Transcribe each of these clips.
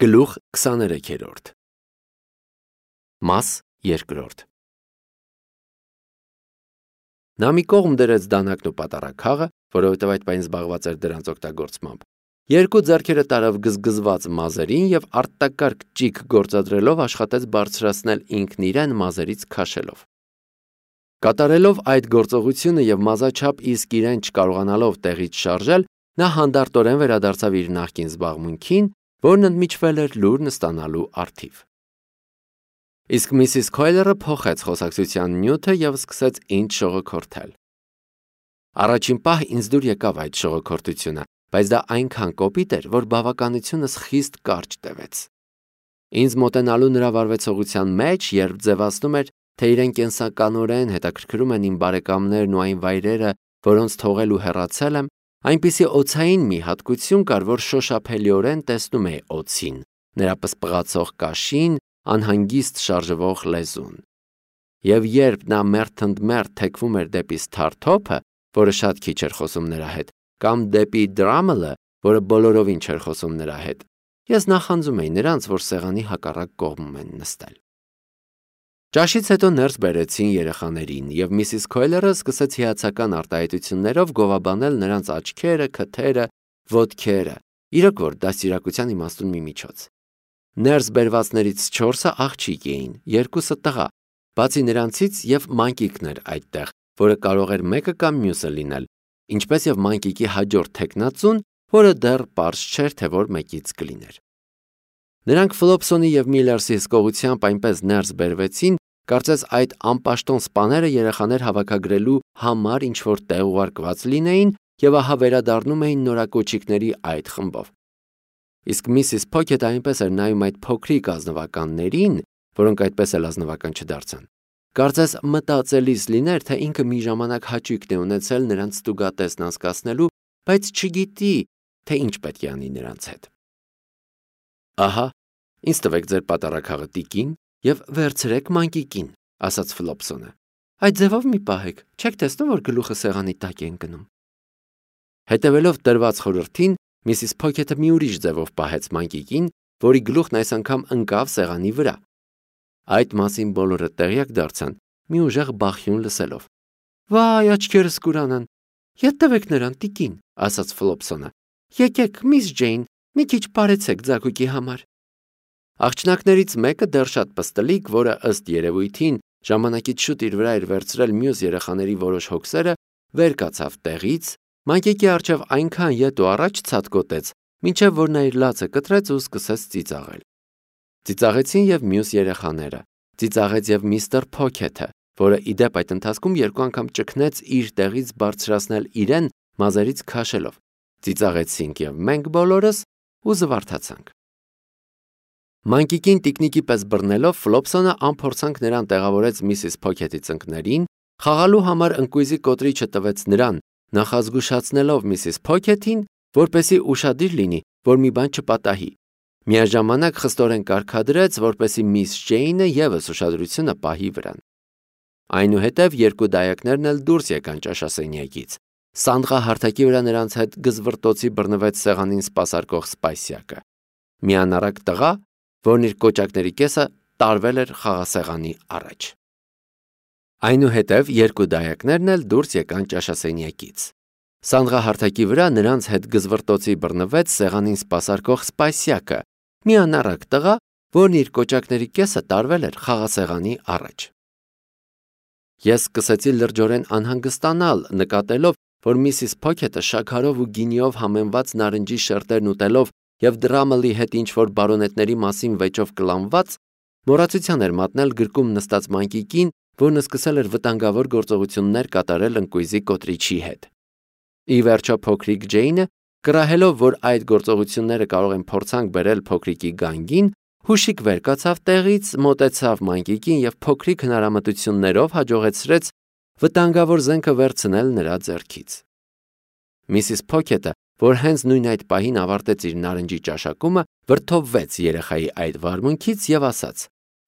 Գլուխ 23 Մաս 2 Նա մի կողմ դրեց դանակն ու պատառաքաղը, որովհետև այդ պահին զբաղված էր դրանց օգտագործմամբ։ Երկու ձեռքերը տարավ գզգզված մազերին եւ արտակարգ ճիգ գործադրելով աշխատեց բարձրացնել ինքն իրեն մազերից քաշելով։ Կատարելով այդ գործողությունը եւ մազաչափ իսկ իրեն չկարողանալով տեղից շարժել, նա հանդարտորեն վերադարձավ իր նախկին զբաղմունքին, որն ընդմիջվել էր լուրն ստանալու առթիվ։ Իսկ Միսիս Քոյլերը փոխեց խոսակցության նյութը եւ սկսեց ինձ շողոքորթել։ Առաջին պահ ինձ դուր եկավ այդ շողոքորթությունը, բայց դա այնքան կոպիտ էր, որ բավականությունս խիստ կարճ տևեց։ Ինձ մոտենալու նրա վարվեցողության մեջ, երբ ձևացնում էր, թե իրեն կենսականորեն հետաքրքրում են իմ բարեկամներն ու այն վայրերը, որոնց թողել ու հեռացել եմ, այնպիսի օձային մի հատկություն կար, որ շոշափելիորեն տեսնում էի օձին, նրա պսպղացող կաշին, անհանգիստ շարժվող լեզուն։ Եվ երբ նա մերթընդմերթ թեքվում էր դեպի Սթարթոփը, որը շատ քիչ էր խոսում նրա հետ, կամ դեպի Դրամելը, որը բոլորովին չէր խոսում նրա հետ, ես նախանձում էի նրանց, որ սեղանի հակառակ կողմում են նստել։ Ճաշից հետո ներս բերեցին երեխաներին, եւ Միսիս Քոյլերը սկսեց հիացական արտահայտություններով գովաբանել նրանց աչքերը, քթերը, ոտքերը, իրոք որ դաստիարակության իմաստուն մի միջոց։ Ներս բերվածներից 4-ը աղջիկ էին, 2-ը տղա, բացի նրանցից եւ մանկիկն էր այդտեղ, որը կարող էր մեկը կամ մյուսը լինել, ինչպես եւ մանկիկի հաջորդ թեկնածուն, որը դեռ պարզ չէր, թե որ մեկից կլիներ։ Նրանք Ֆլոփսոնի եւ Միլլերսի հսկողությամբ այնպես ներս բերվեցին, կարծես այդ անպաշտոն սպաները երեխաներ հավաքագրելու համար ինչ-որ տեղ ուղարկված լինեին եւ ահա վերադառնում էին նորակոչիկների այդ խմբով։ Իսկ Միսիս Փոքեթը այնպես էր նայում այդ փոքրիկ ազնվականներին, որոնք այդպես էլ ազնվական չդարձան։ Կարծես մտածելիս լիներ, թե ինքը մի ժամանակ հաճույքն է ունեցել նրանց ստուգատեսն անցկացնելու, բայց չգիտի, թե ինչ պետք է անի նրանց հետ։ Ահա, ինձ տվեք ձեր պատառաքաղը տիկին եւ վերցրեք մանկիկին, ասաց Ֆլոփսոնը։ Այդ ձևով մի պահեք, չեք տեսնում, որ գլուխը սեղանի տակ է ընկնում։ Հետևելով տրված խորհրդին, Միսիս Փոքեթը մի ուրիշ ձևով պահեց մանկիկին, որի գլուխն այս անգամ ընկավ սեղանի վրա։ Այդ մասին բոլորը տեղյակ դարձան, մի ուժեղ բախյուն լսելով։ Վայ, աչքերս կուրանան։ Ետ տվեք նրան տիկին, ասաց Ֆլոփսոնը։ Եկեք, Միս Ջեյն, մի քիչ բարեցեք ձագուկի համար։ Աղջնակներից մեկը դեռ շատ պստլիկ, որը ըստ երևույթին ժամանակից շուտ իր վրա էր վերցրել մյուս երեխաների որոշ հոգսերը, վեր կացավ տեղից, մանկիկի առջև այնքան ետ ու առաջ ցատկոտեց, մինչև որ նա իր լացը կտրեց ու սկսեց ծիծաղել։ Ծիծաղեցին եւ մյուս երեխաները, ծիծաղեց եւ միստր Փոքեթը, որը իդեպ այդ ընթացքում երկու անգամ ճգնեց իր տեղից բարձրացնել իրեն մազերից քաշելով։ Ծիծաղեցինք եւ մենք բոլորս ու զվարթացանք։ Մանկիկին տիկնիկի պես բռնելով Ֆլոփսոնը անփորձանք նրան տեղավորեց Միսիս Փոքեթի ծնկներին, խաղալու համար ընկույզի կոտրիչը տվեց նրան, նախազգուշացնելով Միսիս Փոքեթին, որպեսի ուշադիր լինի, որ մի բան չպատահի։ Միաժամանակ խստորեն կարգադրեց, որպեսի Միս Ջեյնը եւս ուշադրությունը պահի վրան։ Այնուհետև երկու դայակներն էլ դուրս եկան ճաշասենյակից։ Սանդղահարթակի վրա նրանց հետ գզվռտոցի բռնվեց սեղանին սպասարկող Սպայսյակը։ Մի անառակ տղա, որն իր կոճակների կեսը տարվել էր խաղասեղանի առաջ։ Այնուհետև երկու դայակներն էլ դուրս եկան ճաշասենյակից։ Սանդղահարթակի վրա նրանց հետ գզվռտոցի բռնվեց սեղանին սպասարկող Սպայսյակը, մի անառակ տղա, որն իր կոճակների կեսը տարվել էր խաղասեղանի առաջ։ Ես սկսեցի լրջորեն անհանգստանալ, նկատելով, որ Միսիս Փոքեթը շաքարով ու գինիով համեմված նարնջի շերտերն ուտելով եւ Դրամելի հետ ինչ-որ բարոնետների մասին վեճով կլանված, մոռացության էր մատնել գրկում նստած մանկիկին, որն սկսել էր վտանգավոր գործողություններ կատարել ընկույզի կոտրիչի հետ։ Ի վերջո փոքրիկ Ջեյնը, կռահելով, որ այդ գործողությունները կարող են փորձանք բերել փոքրիկի գանգին, հուշիկ վեր կացավ տեղից, մոտեցավ մանկիկին եւ փոքրիկ հնարամտություններով հաջողեցրեց վտանգավոր զենքը վերցնել նրա ձեռքից։ Միսիս Փոքեթը, որ հենց նույն այդ պահին ավարտեց իր նարնջի ճաշակումը, վրդովվեց երեխայի այդ վարմունքից եւ ասաց.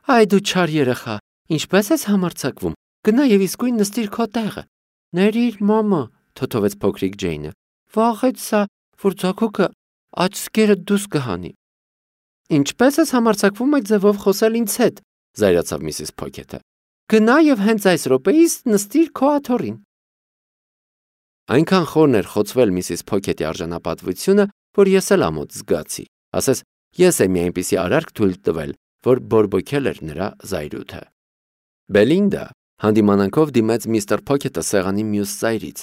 «Այ դու չար երեխա, ինչպես ես համարձակվում։ Գնա եւ իսկույն նստիր քո տեղը»։ «Ներիր, մամա», թոթովեց փոքրիկ Ջեյնը։ «Վաղեց սա, որ ձագուկը աչքերը դուս կհանի»։ Ինչպես ես համարձակվում այդ ձևով խոսել ինձ հետ, զայրացավ Միսիս Փոքեթը։ Գնա եւ հենց այս րոպեից նստիր քո աթոռին։ Այնքան խորն էր խոցվել Միսիս Փոքեթի արժանապատվությունը, որ ես էլ ամոթ զգացի։ Ասես ես եմ մի այնպիսի արարք թույլ տվել, որ բորբոքել էր նրա զայրույթը։ Բելինդա հանդիմանանքով դիմեց միստր Փոքեթը սեղանի մյուս ծայրից։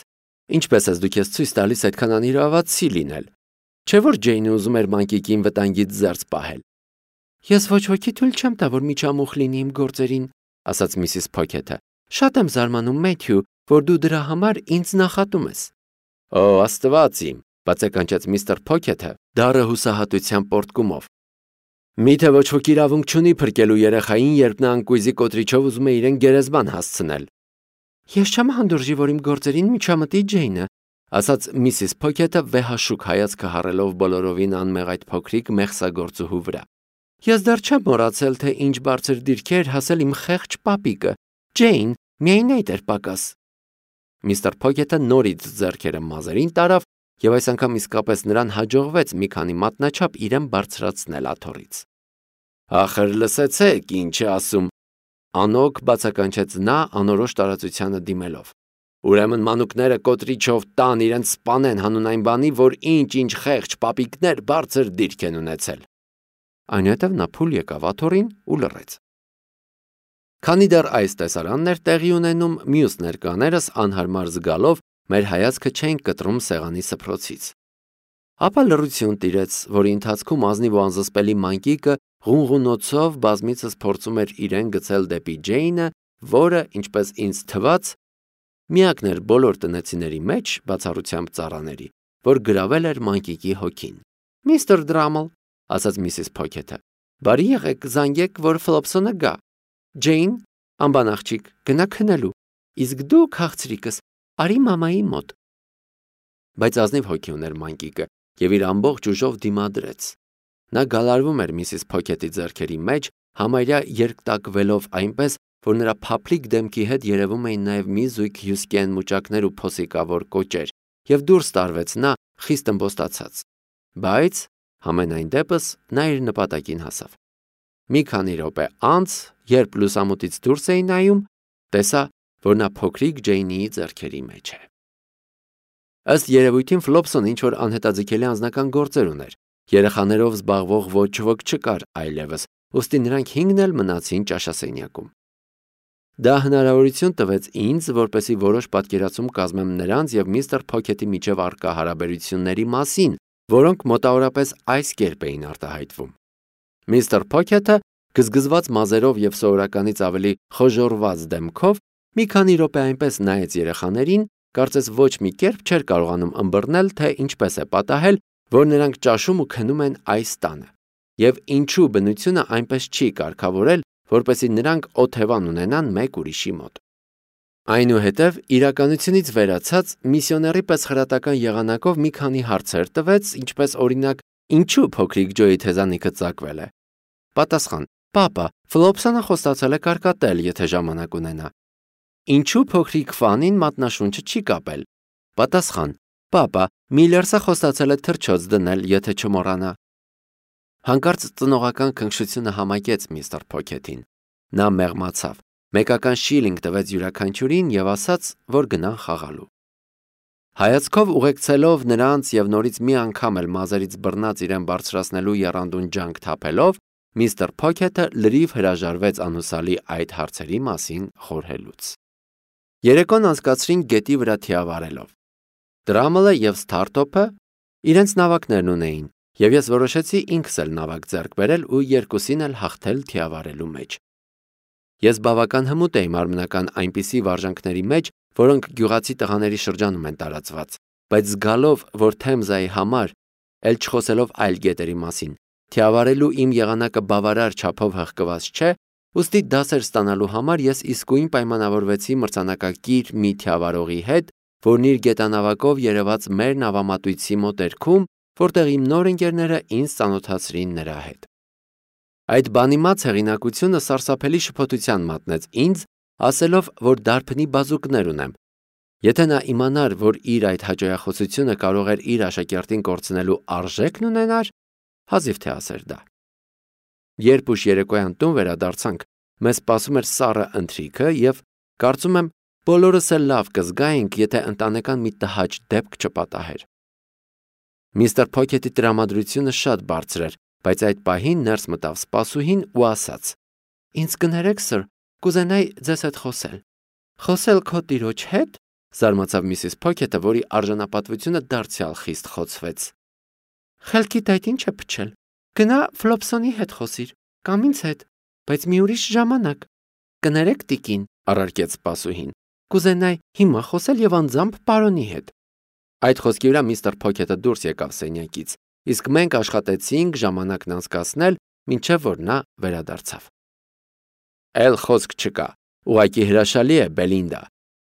Ինչպես ես դուք ես ցույց տալիս այդքան անիրավացի լինել։ Չէ՞ որ Ջեյնը ուզում էր մանկիկին վտանգից զերծ պահել։ Ես ոչ ոքի թույլ չեմ տա, որ միջամուխ լինի իմ գործերին, ասաց Միսիս Փոքեթը։ Շատ եմ զարմանում, Մեթյու, որ դու դրա համար ինձ նախատում ես։ Օ, Աստված իմ, բացականչեց միստր Փոքեթը, դառը հուսահատության պորտկումով։ Միթե ոչ ոք իրավունք չունի փրկելու երեխային, երբ նա անկույզի կոտրիչով ուզում է իրեն գերեզման հասցնել։ Ես չեմ հանդուրժի, որ իմ գործերին միջամտի Ջեյնը, ասաց Միսիս Փոքեթը վեհաշուկ հայացքը հառելով բոլորովին անմեղ այդ փոքրիկ մեղսագործուհու վրա։ Ես դեռ չեմ մոռացել, թե ինչ բարձր դիրքեր հասել իմ խեղճ պապիկը։ Ջեյն, միայն այդ էր պակաս։ Միստր Փոքեթը նորից ձեռքերը մազերին տարավ, եւ այս անգամ իսկապես նրան հաջողվեց մի քանի մատնաչափ իրեն բարձրացնել աթոռից։ Ախր լսեցեք, ինչ է ասում, անոք բացականչեց նա անորոշ տարածությանը դիմելով։ Ուրեմն մանուկները կոտրիչով տան իրենց սպանեն հանուն այն բանի, որ ինչ խեղճ պապիկներ բարձր դիրք են ունեցել։ Այնուհետև նա փուլ եկավ աթոռին ու լռեց։ Քանի դեռ այս տեսարանն էր տեղի ունենում, մյուս ներկաներս անհարմար զգալով մեր հայացքը չէին կտրում սեղանի սփռոցից։ Ապա լռություն տիրեց, որի ընթացքում ազնիվ ու անզսպելի մանկիկը ղունղունոցով բազմիցս փորձում էր իրեն գցել դեպի Ջեյնը, որը, ինչպես ինձ թվաց, միակն էր բոլոր տնեցիների մեջ, բացառությամբ ծառաների, որ գրավել էր մանկիկի հոգին։ Միստր Դրամլ, ասաց Միսիս Փոքեթը, բարի եղեք, զանգեք, որ Ֆլոպսոնը գա։ Ջեյն, ամբան աղջիկ, գնա քնելու, իսկ դու քաղցրիկս, արի մամայի մոտ։ Բայց ազնիվ հոգի ուներ մանկիկը եւ իր ամբողջ ուժով դիմադրեց։ Նա գալարվում էր Միսիս Փոքեթի ձեռքերի մեջ, համարյա երկտակվելով այնպես, որ նրա փափլիկ դեմքի հետ երևում էին նաև մի զույգ հյուսկեն մուճակներ ու փոսիկավոր կոճեր, եւ դուրս տարվեց նա խիստ ըմբոստացած։ Բայց համենայն դեպս նա իր նպատակին հասավ։ Մի քանի րոպե անց, երբ լուսամուտից դուրս էին նայում, տեսա, որ նա փոքրիկ Ջեյնիի ձեռքերի մեջ է։ Ըստ երևույթին Ֆլոպսոն ինչ-որ անհետաձգելի անձնական գործեր ուներ։ Երեխաներով զբաղվող ոչ ոք չկար այլևս, ուստի նրանք 5-ն էլ մնացին ճաշասենյակում։ Դա հնարավորություն տվեց ինձ, որպեսզի որոշ պատկերացում կազմեմ նրանց եւ միստր Փոքեթի միջև առկա հարաբերությունների մասին, որոնք մոտավորապես այս կերպ էին արտահայտվում։ Միստր Փոքեթը գզգզված մազերով եւ սովորականից ավելի խոժոռված դեմքով մի քանի րոպե այնպես նայեց երեխաներին, կարծես ոչ մի կերպ չէր կարողանում ըմբռնել, թե ինչպես է պատահել, որ նրանք ճաշում ու քնում են այս տանը, եւ ինչու բնությունը այնպես չի կարգավորել, որպեսզի նրանք օթևան ունենան մեկ ուրիշի մոտ։ Այնուհետև իրականությունից վերացած միսիոների պես խրատական եղանակով մի քանի հարցեր տվեց, ինչպես օրինակ, ինչու փոքրիկ Ջոյի թեզանիքը ծակվել է։ Պատասխան. Պապա, Ֆլոպսոնը խոստացել է կարկատել, եթե ժամանակ ունենա։ Ինչու փոքրիկ Ֆանին մատնաշունչը չի կապել։ Պատասխան. Պապա, Միլերսը խոստացել է թռչոց դնել, եթե չմոռանա։ Հանկարծ ծնողական քնքշությունը համակեց միստր Փոքեթին։ Նա մեղմացավ, մեկական շիլինգ տվեց յուրաքանչյուրին եւ ասաց, որ գնան խաղալու։ Հայացքով ուղեկցելով նրանց եւ նորից մի անգամ էլ մազերից բռնած իրեն բարձրացնելու եռանդուն ջանք թափելով, միստր Փոքեթը լրիվ հրաժարվեց անհուսալի այդ հարցերի մասին խորհելուց։ Երեկոն անցկացրին գետի վրա թիավարելով։ Դրամլը եւ Սթարթոփը իրենց նավակներն ունեին, եւ ես որոշեցի ինքս էլ նավակ ձեռք բերել ու երկուսին էլ հաղթել թիավարելու մեջ։ Ես բավական հմուտ էի մարմնական այնպիսի վարժանքների մեջ, որոնք գյուղացի տղաների շրջանում են տարածված, բայց զգալով, որ Թեմզայի համար, ել չխոսելով այլ գետերի մասին, թիավարելու իմ եղանակը բավարար չափով հղկված չէ, ուստի դասեր ստանալու համար ես իսկույն պայմանավորվեցի մրցանակակիր մի թիավարողի հետ, որն իր գետանավակով երևաց մեր նավամատույցի մոտերքում, որտեղ իմ նոր ընկերները ինձ ծանոթացրին նրա հետ։ Այդ բանիմաց հեղինակությունը սարսափելի շփոթության մատնեց ինձ, ասելով, որ դարբնի բազուկներ ունեմ։ Եթե նա իմանար, որ իր այդ հաճոյախոսությունը կարող էր իր աշակերտին կորցնելու արժեքն ունենար, հազիվ թե ասեր դա։ Երբ ուշ երեկոյան տուն վերադարձանք, մեզ սպասում էր սառը ընթրիքը եւ կարծում եմ բոլորս էլ լավ կզգայինք, եթե ընտանեկան մի տհաճ դեպք չպատահեր։ Միստր Փոքեթի տրամադրությունը շատ բարձր էր, բայց այդ պահին ներս մտավ սպասուհին ու ասաց. «Ինձ կներեք, սըր, կուզենայի ձեզ հետ խոսել»։ «Խոսել քո տիրոջ հետ»։ Զարմացավ Միսիս Փոքեթը, որի արժանապատվությունը դարձյալ խիստ խոցվեց։ «Խելքիդ այդ ինչ է փչել։ Գնա Ֆլոփսոնի հետ խոսիր, կամ ինձ հետ, բայց մի ուրիշ ժամանակ»։ «Կներեք, տիկին», առարկեց սպասուհին, «կուզենայի հիմա խոսել եւ անձամբ պարոնի հետ»։ Այդ խոսքի վրա միստր Փոքեթը դուրս եկավ սենյակից, իսկ մենք աշխատեցինք ժամանակն անցկացնել, մինչև որ նա վերադարձավ։ «Էլ խոսք չկա, ուղղակի հրաշալի է, Բելինդա»,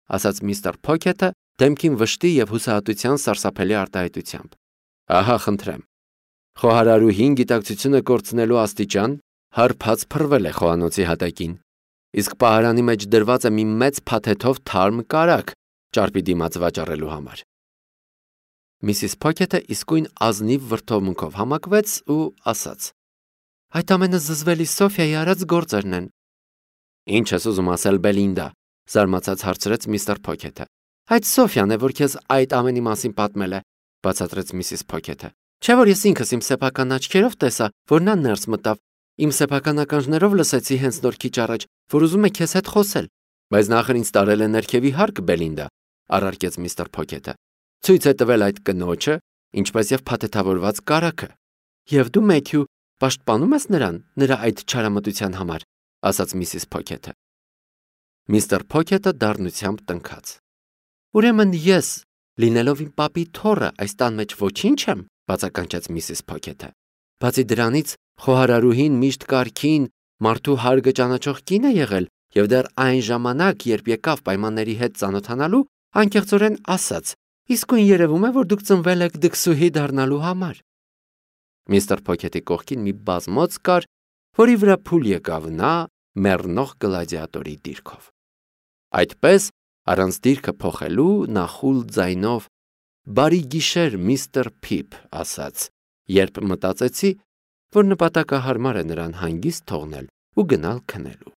ասաց միստր Փոքեթը դեմքին վշտի եւ հուսահատության սարսափելի արտահայտությամբ։ «Ահա, խնդրեմ։ Խոհարարուհին գիտակցությունը կորցնելու աստիճան հարբած փռվել է խոհանոցի հատակին, իսկ պահարանի մեջ դրված է մի մեծ փաթեթով թարմ կարագ ճարպի դիմաց վաճառելու համար»։ Միսիս Փոքեթը իսկույն ազնիվ վրդովմունքով համակվեց ու ասաց. «Այդ ամենը զզվելի Սոֆիայի արած գործերն են»։ «Ինչ ես ուզում ասել, Բելինդա», զարմացած հարցրեց միստր Փոքեթը։ «Այդ Սոֆիան է, որ քեզ այդ ամենի մասին պատմել է», բացատրեց միսիս Փոքեթը։ «Չէ՞ որ ես ինքս իմ սեփական աչքերով տեսա, որ նա ներս մտավ, իմ սեփական ականջներով լսեցի հենց նոր քիչ առաջ, որ ուզում է քեզ հետ խոսել»։ «Բայց նախր ինձ տարել է ներքևի հարկ, Բելինդա», առարկեց միստր Փոքեթը։ «Ցույց է տվել այդ կնոջը, ինչպես եւ փաթեթավորված կարագը»։ «Եվ դու, Մեթյու, պաշտպանում ես նրան, նրա այդ չարամտության համար», ասաց միսիս Փոքեթը։ Միստր Փոքեթը դառնությամբ տնքաց։ «Ուրեմն ես, լինելով իմ պապի թոռը, այս տան մեջ ոչինչ եմ», բացականչեց միսիս Փոքեթը։ «Բացի դրանից, խոհարարուհին միշտ կարգին, մարդու հարգը ճանաչող կին է եղել եւ դեռ այն ժամանակ, երբ եկավ պայմանների հետ ծանոթանալու, անկեղծորեն ասաց. իսկույն երևում է, որ դուք ծնվել եք դքսուհի դառնալու համար»։ Միստր Փոքեթի կողքին մի բազմոց կար, որի վրա փուլ եկավ նա մեռնող գլադիատորի դիրքով։ Այդպես, առանց դիրքը փոխելու, նա խուլ ձայնով «Բարի գիշեր, միստր Փիփ» ասաց, երբ մտածեցի, որ նպատակահարմար է նրան հանգիստ թողնել ու գնալ քնելու։